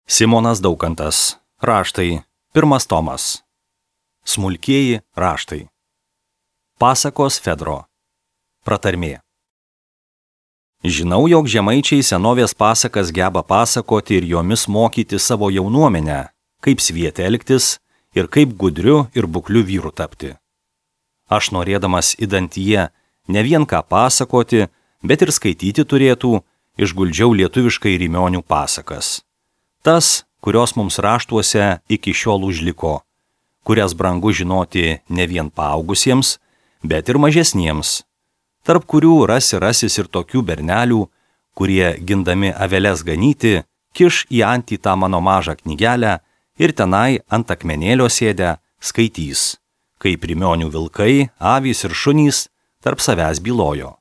Simonas Daukantas. Raštai. 1 tomas. Smulkieji raštai. Pasakos Fedro. Pratarmė. Žinau, jog žemaičiai senovės pasakas geba pasakoti ir jomis mokyti savo jaunuomenę, kaip sviete elgtis ir kaip gudriu ir bukliu vyru tapti. Aš norėdamas idantyje ne vien ką pasakoti, bet ir skaityti turėtų, išguldžiau lietuviškai Rymionių pasakas. Tas, kurios mums raštuose iki šiol užliko, kurias brangu žinoti ne vien paaugusiems, bet ir mažesniems, tarp kurių rasis ir tokių bernelių, kurie gindami aveles ganyti, kiš į antį tą mano mažą knygelę ir tenai ant akmenėlio sėdę skaitys, kaip Rymionių vilkai, avys ir šunys tarp savęs bylojo.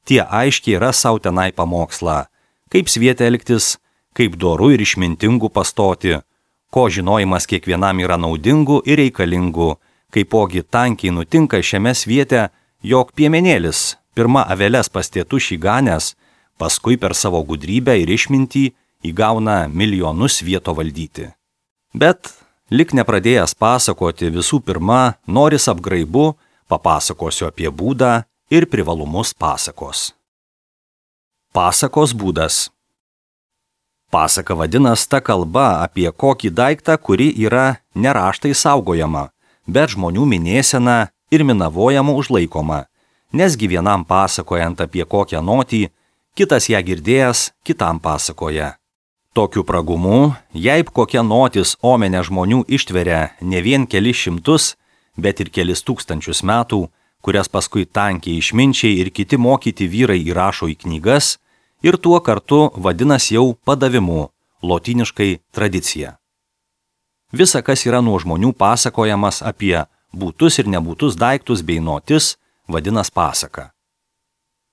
Tie aiškiai ras sau tenai pamokslą, kaip sviete elgtis, kaip doru ir išmintingu pastoti, ko žinojimas kiekvienam yra naudingu ir reikalingu, kaipogi tankiai nutinka šiame sviete, jog piemenėlis pirma aveles pastėtų šiganės, paskui per savo gudrybę ir išmintį įgauna milijonus vieto valdyti. Bet, lik nepradėjęs pasakoti, visų pirma, noris apgraibu, papasakosiu apie būdą ir privalumus pasakos. Pasakos būdas. Pasaka vadinas ta kalba apie kokį daiktą, kuri yra ne raštai saugojama, bet žmonių minėsena ir minavojama užlaikoma, nesgi vienam pasakojant apie kokią notį, kitas ją girdėjęs kitam pasakoja. Tokiu pragumu, jei kokia notis omenę žmonių ištveria ne vien kelis šimtus, bet ir kelis tūkstančius metų, kurias paskui tankiai išminčiai ir kiti mokyti vyrai įrašo į knygas, ir tuo kartu vadinas jau padavimu, lotyniškai tradicija. Visa, kas yra nuo žmonių pasakojamas apie būtus ir nebūtus daiktus bei notis, vadinas pasaka.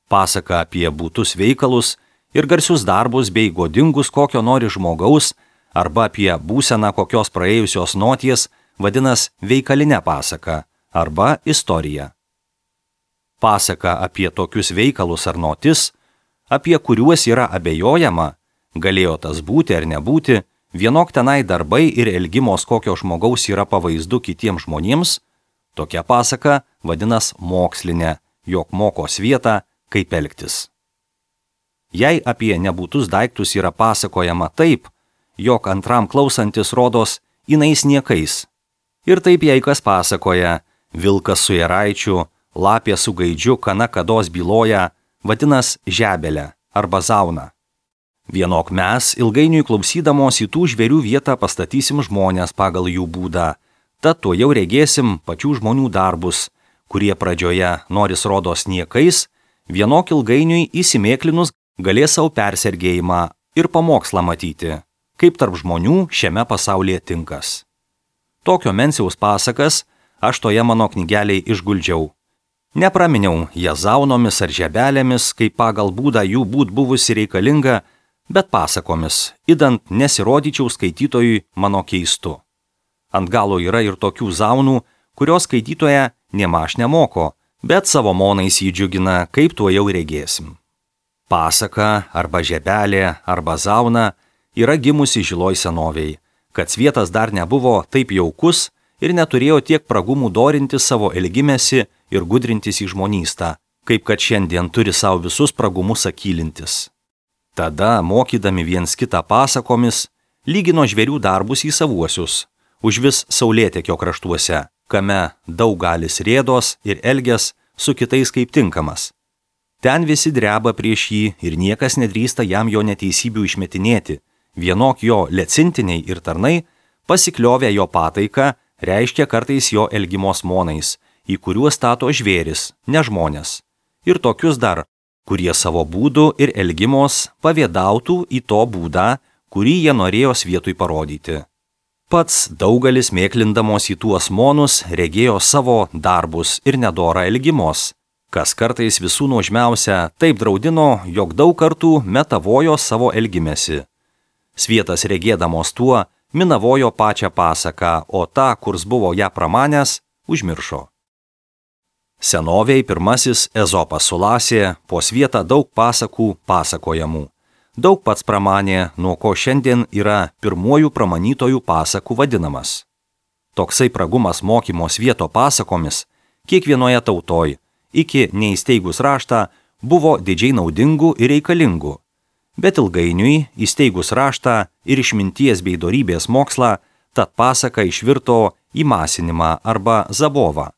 Pasaka apie būtus veikalus ir garsius darbus bei godingus kokio nori žmogaus arba apie būseną kokios praėjusios noties vadinas veikalinė pasaka arba istorija. Pasaka apie tokius veikalus ar notis, apie kuriuos yra abejojama, galėjo tas būti ar nebūti, vienok tenai darbai ir elgimos kokio žmogaus yra pavaizdu kitiems žmonėms, tokia pasaka vadinas mokslinė, jog moko svietą, kaip elgtis. Jei apie nebūtus daiktus yra pasakojama taip, jog antram klausantis rodos inais niekais. Ir taip jei kas pasakoja, vilkas su jaraičiu, lapė su gaidžiu kana kados byloja, vadinas žebelę arba zauną. Vienok mes ilgainiui klausydamos į tų žvėrių vietą pastatysim žmonės pagal jų būdą, tad to jau regėsim pačių žmonių darbus, kurie pradžioje noris rodos niekais, vienok ilgainiui įsimėklinus galės savo persergėjimą ir pamokslą matyti, kaip tarp žmonių šiame pasaulyje tinkas. Tokio menciaus pasakas aš toje mano knygelėje išguldžiau. Nepraminiau jas zaunomis ar žebelėmis, kaip pagal būdą jų būt buvusi reikalinga, bet pasakomis, idant nesirodyčiau skaitytojui mano keistu. Ant galo yra ir tokių zaunų, kurios skaitytoje nėmaž nemoko, bet savo monais jį džiugina, kaip tuo jau regėsim. Pasaka arba žebelė arba zauna yra gimusi žiloj senovėj, kad svietas dar nebuvo taip jaukus ir neturėjo tiek pragumų dorinti savo elgimesi ir gudrintis į žmonystą, kaip kad šiandien turi savo visus pragumus akylintis. Tada, mokydami viens kitą pasakomis, lygino žvėrių darbus į savuosius, užvis saulėtekio kraštuose, kame daug galis rėdos ir elgės su kitais kaip tinkamas. Ten visi dreba prieš jį ir niekas nedrįsta jam jo neteisybių išmetinėti, vienok jo lecintiniai ir tarnai, pasikliovę jo pataiką, reiškia kartais jo elgimos monais, į kuriuos stato žvėris, ne žmonės, ir tokius dar, kurie savo būdų ir elgimos pavėdautų į to būdą, kurį jie norėjo svietui parodyti. Pats daugelis mėklindamos į tuos monus regėjo savo darbus ir nedorą elgimos, kas kartais visų nuožmiausia taip draudino, jog daug kartų metavojo savo elgimesi. Svietas regėdamos tuo, minavojo pačią pasaką, o tą, kurs buvo ją pramanęs, užmiršo. Senovėj pirmasis Ezopas sulasė po svietą daug pasakų pasakojamų. daug pats pramanė, nuo ko šiandien yra pirmuoju pramanytojų pasakų vadinamas. Toksai pragumas mokymo svieto pasakomis kiekvienoje tautoj, iki neįsteigus raštą, buvo didžiai naudingų ir reikalingų. Bet ilgainiui, įsteigus raštą ir išminties bei dorybės mokslą, tad pasaka išvirto į masinimą arba zabovą,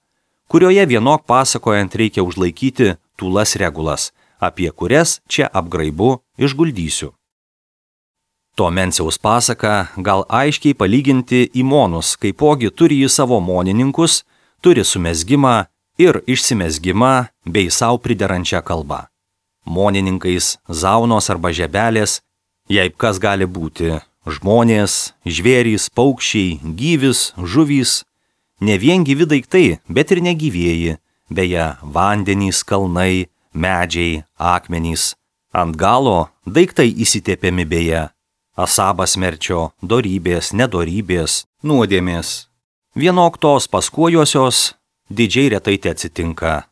kurioje vienok pasakojant reikia užlaikyti tūlas regulas, apie kurias čia apgraibu išguldysiu. To Menciaus pasaka gal aiškiai palyginti į monus, kaipogi turi jį savo monininkus, turi sumezgimą ir išsimezgimą bei sau priderančią kalbą. Monininkais zaunos arba žebelės, jei kas gali būti žmonės, žvėrys, paukščiai, gyvis, žuvys, ne vien gyvi daiktai, bet ir negyvieji, beje, vandenys, kalnai, medžiai, akmenys. Ant galo daiktai įsitėpiami beje, asabas merčio, dorybės, nedorybės, nuodėmės. Vienok tos paskuojosios didžiai retai te atsitinka.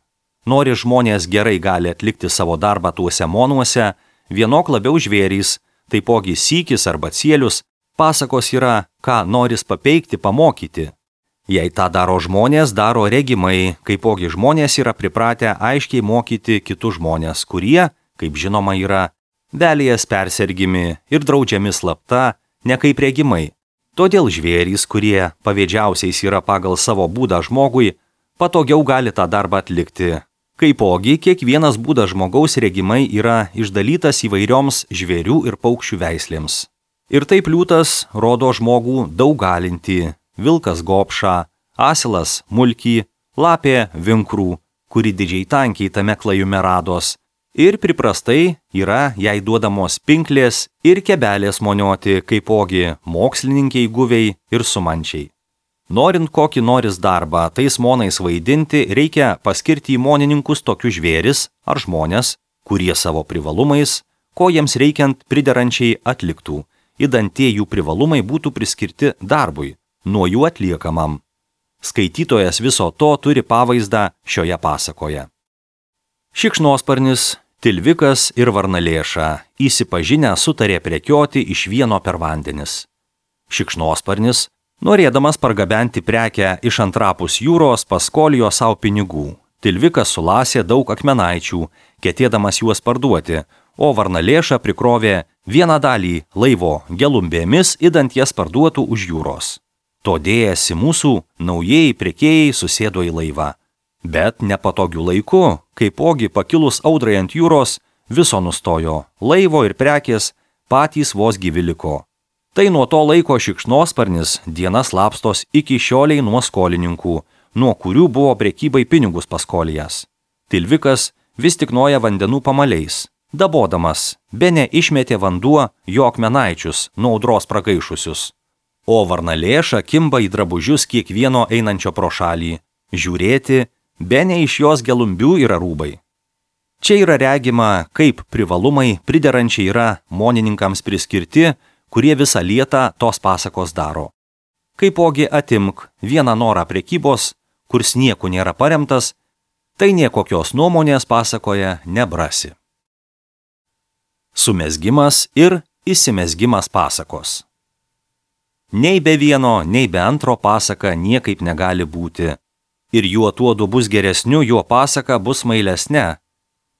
Nori žmonės gerai gali atlikti savo darbą tuose monuose, vienok labiau žvėrys, taipogi sykis arba cielius, pasakos yra, ką noris papeikti, pamokyti. Jei tą daro žmonės, daro regimai, kaipogi žmonės yra pripratę aiškiai mokyti kitus žmonės, kurie, kaip žinoma, yra velijas persergimi ir draudžiami slapta, ne kaip regimai. Todėl žvėrys, kurie pavėdžiausiais yra pagal savo būdą žmogui, patogiau gali tą darbą atlikti. Kaipogi kiekvienas būdas žmogaus regimai yra išdalytas įvairioms žvėrių ir paukščių veislėms. Ir taip liūtas rodo žmogų daug galinti, vilkas gopšą, asilas mulkį, lapė vinkrų, kuri didžiai tankiai tame klajume rados, ir priprastai yra jai duodamos pinklės ir kebelės monioti, kaipogi mokslininkiai guviai ir sumančiai. Norint kokį noris darbą tais monais vaidinti, reikia paskirti į monininkus tokius žvėris ar žmonės, kurie savo privalumais, ko jiems reikiant priderančiai atliktų, idant tie jų privalumai būtų priskirti darbui, nuo jų atliekamam. Skaitytojas viso to turi pavaizdą šioje pasakoje. Šikšnosparnis, tilvikas ir varnalėša įsipažinę sutarė prekioti iš vieno per vandenis. Šikšnosparnis, norėdamas pargabenti prekę iš antrapus jūros, paskolijo savo pinigų. Tilvikas sulasė daug akmenaičių, ketėdamas juos parduoti, o varnalėša prikrovė vieną dalį laivo gelumbėmis, idant jas parduotų už jūros. To dėjasi mūsų naujieji prekėjai susėdo į laivą. Bet nepatogių laiku, kaipogi pakilus audrai ant jūros, viso nustojo, laivo ir prekės patys vos gyvi liko. Tai nuo to laiko šikšnosparnis dienas slapstos iki šioliai nuo skolininkų, nuo kurių buvo prekybai pinigus paskolijas. Tilvikas vis tik noja vandenų pamaliais, dabodamas, bene išmetė vanduo jo akmenaičius, nuo audros pragaišusius. O varnalėša kimba į drabužius kiekvieno einančio pro šalį, žiūrėti, bene iš jos gelumbių yra rūbai. Čia yra regima, kaip privalumai priderančiai yra monininkams priskirti, kurie visą lietą tos pasakos daro. Kaipogi atimk vieną norą prekybos, kurs nieku nėra paremtas, tai niekokios nuomonės pasakoje nebrasi. Sumezgimas ir įsimezgimas pasakos. Nei be vieno, nei be antro pasaka niekaip negali būti. Ir juo tuodu bus geresniu, juo pasaka bus mailesne.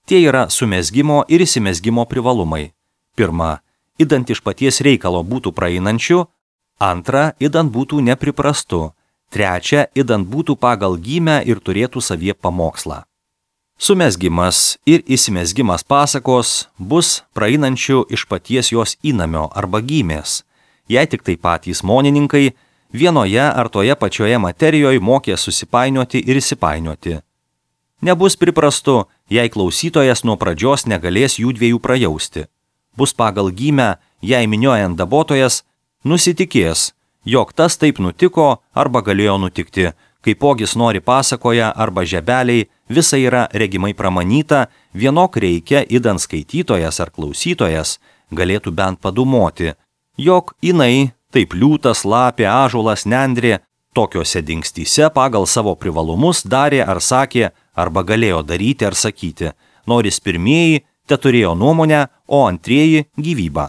Tie yra sumezgimo ir įsimezgimo privalumai. Pirma, idant iš paties reikalo būtų praeinančių, antra, idant būtų nepriprastu, trečia, idant būtų pagal gymę ir turėtų savie pamokslą. Sumezgimas ir įsimezgimas pasakos bus praeinančių iš paties jos įnamio arba gymės, jei tik tai patys monininkai vienoje ar toje pačioje materijoje mokė susipainioti ir įsipainioti. Nebus priprastu, jei klausytojas nuo pradžios negalės jų dviejų prajausti. Bus pagal gymę, jei miniojant dabotojas, nusitikės, jog tas taip nutiko arba galėjo nutikti, kaipogis nori pasakoja arba žebeliai, visa yra regimai pramanyta, vienok reikia, idant skaitytojas ar klausytojas galėtų bent padumoti, jog jinai, taip liūtas, lapė, ąžuolas, nendrė, tokiose dingstyse pagal savo privalumus darė ar sakė, arba galėjo daryti ar sakyti, noris pirmieji te turėjo nuomonę, o antrieji gyvybą.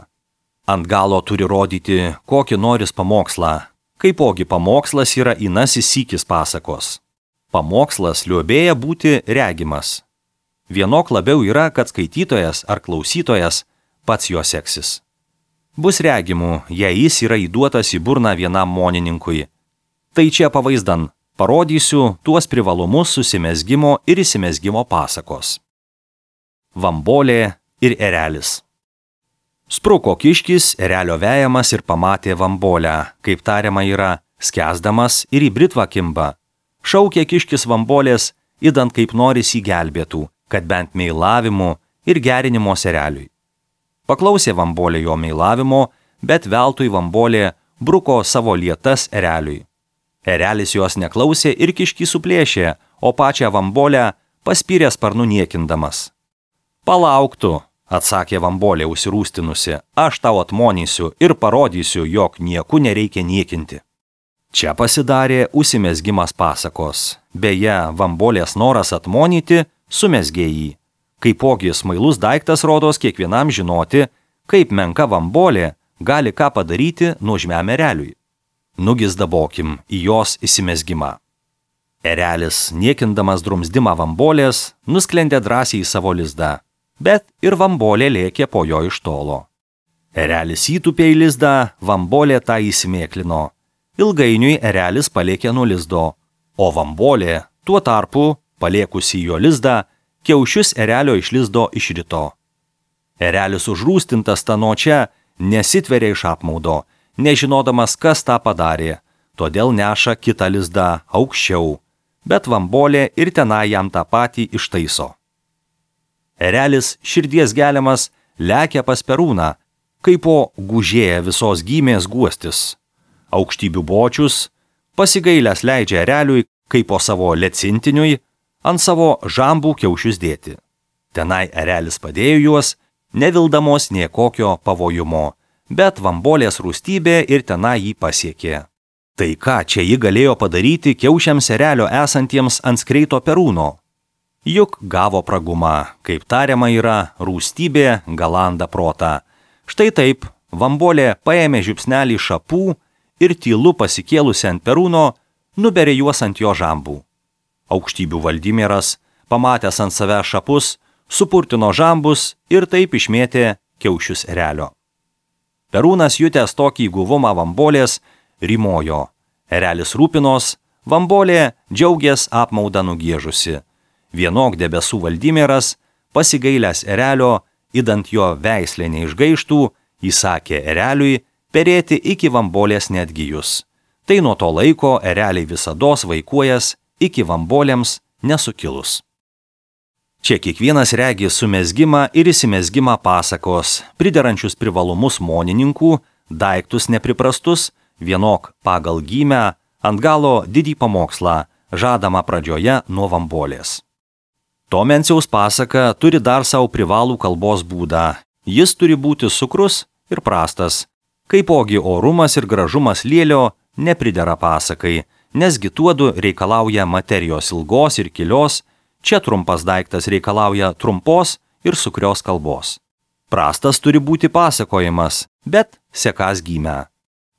Ant galo turi rodyti, kokį noris pamokslą. Kaipogi pamokslas yra inasis sykis pasakos. Pamokslas liuobėja būti regimas. Vienok labiau yra, kad skaitytojas ar klausytojas pats jo seksis. Bus regimų, jei jis yra įduotas į burną vienam monininkui. Tai čia pavaizdan parodysiu tuos privalumus susimezgimo ir įsimezgimo pasakos. Vambolė ir erelis. Spruko kiškis erelio vejamas ir pamatė vambolę, kaip tariama yra, skęsdamas ir į britvą kimba. Šaukė kiškis vambolės, idant kaip noris jį gelbėtų, kad bent meilavimu ir gerinimo ereliui. Paklausė vambolė jo meilavimo, bet veltui vambolė bruko savo lietas ereliui. Erelis jos neklausė ir kiškį suplėšė, o pačią vambolę paspyrė sparnu niekindamas. Palauk tu, atsakė vambolė užsirūstinusi, aš tau atmonysiu ir parodysiu, jog nieku nereikia niekinti. Čia pasidarė užsimezgimas pasakos. Beje, vambolės noras atmonyti sumezgė jį. Kaipogi smailus daiktas rodos kiekvienam žinoti, kaip menka vambolė gali ką padaryti nuožmiam ereliui. Nugizdabokim į jos įsimezgimą. Erelis, niekindamas drumzdimą vambolės, nusklendė drąsiai į savo lizdą, bet ir vambolė lėkė po jo iš tolo. Erelis įtupė į lizdą, vambolė tą įsimėklino. Ilgainiui erelis palėkė nuo lizdo, o vambolė, tuo tarpu, palėkusi jo lizdą, kiaušius erelio iš lizdo išrito. Erelis užrūstintas tanočia nesitveria iš apmaudo, nežinodamas, kas tą padarė, todėl neša kitą lizdą aukščiau, bet vambolė ir tenai jam tą patį ištaiso. Erelis širdies geliamas lekia pas perūną, kaip po gužėja visos gymės guostis. Aukštybių bočius pasigailęs leidžia ereliui, kaip po savo lecintiniui, ant savo žambų kiaušius dėti. Tenai erelis padėjo juos, nevildamos nie kokio pavojumo, bet vambolės rūstybė ir tenai jį pasiekė. Tai ką čia ji galėjo padaryti kiaušiams erelio esantiems ant skreito perūno? Juk gavo pragumą, kaip tariama yra, rūstybė galanda protą. Štai taip, vambolė paėmė žiupsnelį šapų ir tylu pasikėlusi ant perūno, nuberė juos ant jo žambų. Aukštybių Valdimieras, pamatęs ant savęs šapus, supurtino žambus ir taip išmėtė kiaušius erelio. Perūnas jutęs tokį guvumą vambolės, rymojo. Erelis rūpinos, vambolė džiaugės apmaudą nugiežusi. Vienok debesų Valdimieras, pasigailęs erelio, idant jo veislė neišgaištų, įsakė ereliui perėti iki vambolės netgijus. Tai nuo to laiko ereliai visados vaikuojas iki vambolėms nesukilus. Čia kiekvienas regi sumezgimą ir įsimezgimą pasakos, priderančius privalumus monininkų, daiktus nepriprastus, vienok pagal gymę, ant galo didį pamokslą, žadama pradžioje nuo vambolės. Tomenciaus pasaka turi dar savo privalų kalbos būdą. Jis turi būti cukrus ir prastas. Kaipogi orumas ir gražumas lėlio nepridera pasakai, nesgi tuodu reikalauja materijos ilgos ir kilios, čia trumpas daiktas reikalauja trumpos ir sukrios kalbos. Prastas turi būti pasakojimas, bet sekas gymę.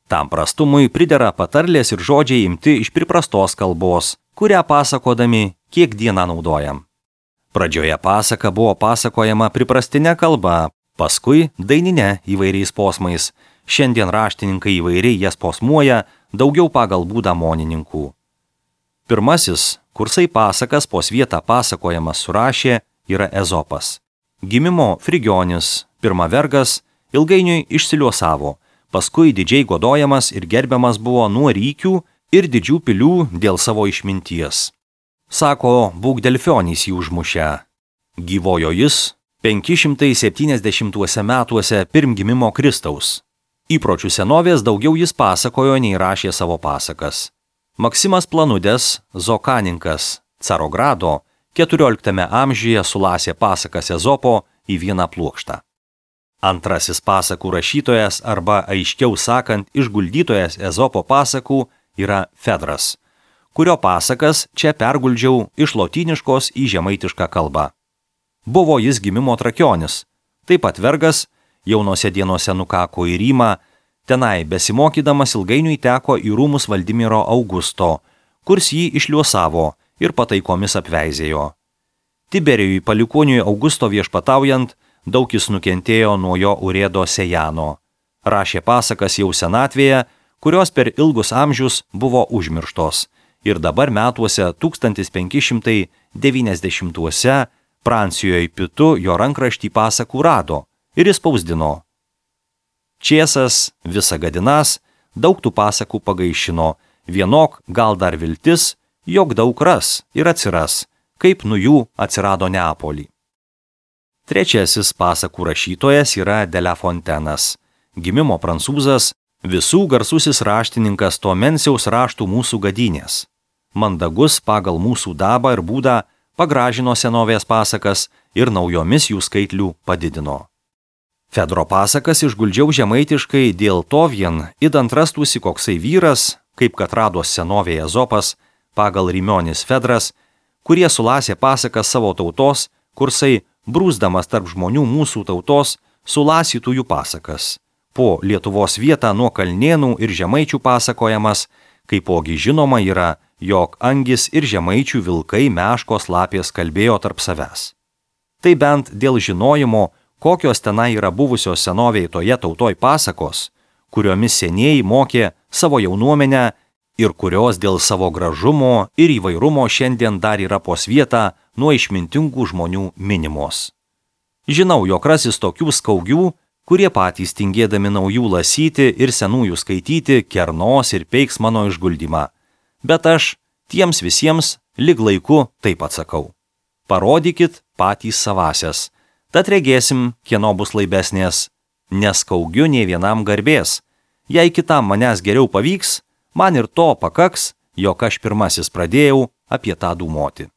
Tam prastumui pridera patarlės ir žodžiai imti iš priprastos kalbos, kurią pasakodami kiek dieną naudojam. Pradžioje pasaka buvo pasakojama priprastinė kalba, paskui dainine įvairiais posmais. Šiandien raštininkai įvairiai jas posmuoja, daugiau pagal būdą monininkų. Pirmasis, kursai pasakas po svietą pasakojamas surašė, yra Ezopas. Gimimo Frigionis, pirma vergas, ilgainiui išsiliuosavo, paskui didžiai godojamas ir gerbiamas buvo nuo rykių ir didžių pilių dėl savo išminties. Sako, būk Delfionys jį užmušę. Gyvojo jis 570 metuose pirm gimimo Kristaus. Įpročių senovės daugiau jis pasakojo nei rašė savo pasakas. Maksimas Planudės, Zokaninkas, Carogrado, 14 amžiuje sulasė pasakas Ezopo į vieną pluokštą. Antrasis pasakų rašytojas arba aiškiau sakant išguldytojas Ezopo pasakų yra Fedras, kurio pasakas čia perguldžiau iš lotyniškos į žemaitišką kalbą. Buvo jis gimimo trakionis, taip pat vergas, jaunose dienose nukako į Rymą, tenai besimokydamas ilgainiui teko į rūmus Valdimiro Augusto, kurs jį išliuosavo ir pataikomis apveizėjo. Tiberijui palikuoniui Augusto viešpataujant, daug jis nukentėjo nuo jo urėdo Sejano. Rašė pasakas jau senatvėje, kurios per ilgus amžius buvo užmirštos. Ir dabar metuose 1590-uose Prancijoje Pitu jo rankraštį pasakų rado ir įspausdino. Čiesas, Visagadinas, daug tų pasakų pagaišino, vienok gal dar viltis, jog daug ras ir atsiras, kaip nu jų atsirado Neapolį. Trečiasis pasakų rašytojas yra de La Fontainas, gimimo prancūzas, visų garsusis raštininkas to Menciaus raštų mūsų gadynės. Mandagus pagal mūsų dabą ir būdą pagražino senovės pasakas ir naujomis jų skaitlių padidino. Fedro pasakas išguldžiau žemaitiškai dėl to vien, idant rastųsi koksai vyras, kaip kad rados senovėje Ezopas, pagal Rimionis Fedras, kurie sulasė pasakas savo tautos, kursai, brūsdamas tarp žmonių mūsų tautos, sulasytų jų pasakas. Po Lietuvos vietą nuo Kalnėnų ir Žemaičių pasakojamas, kaipogi žinoma yra, jog angis ir žemaičių vilkai meškos lapės kalbėjo tarp savęs. Tai bent dėl žinojimo, kokios tenai yra buvusios senovėje toje tautoj pasakos, kuriomis senieji mokė savo jaunuomenę ir kurios dėl savo gražumo ir įvairumo šiandien dar yra po svietą nuo išmintingų žmonių minimos. Žinau, jog rasis tokių skaugių, kurie patys tingėdami naujų lasyti ir senųjų skaityti kernos ir peiks mano išguldymą. Bet aš tiems visiems lig laiku taip atsakau. Parodykit patys savasias, tad regėsim, kieno bus laibesnės, neskaugiu nei vienam garbės. Jei kitam manęs geriau pavyks, man ir to pakaks, jog aš pirmasis pradėjau apie tą dūmoti.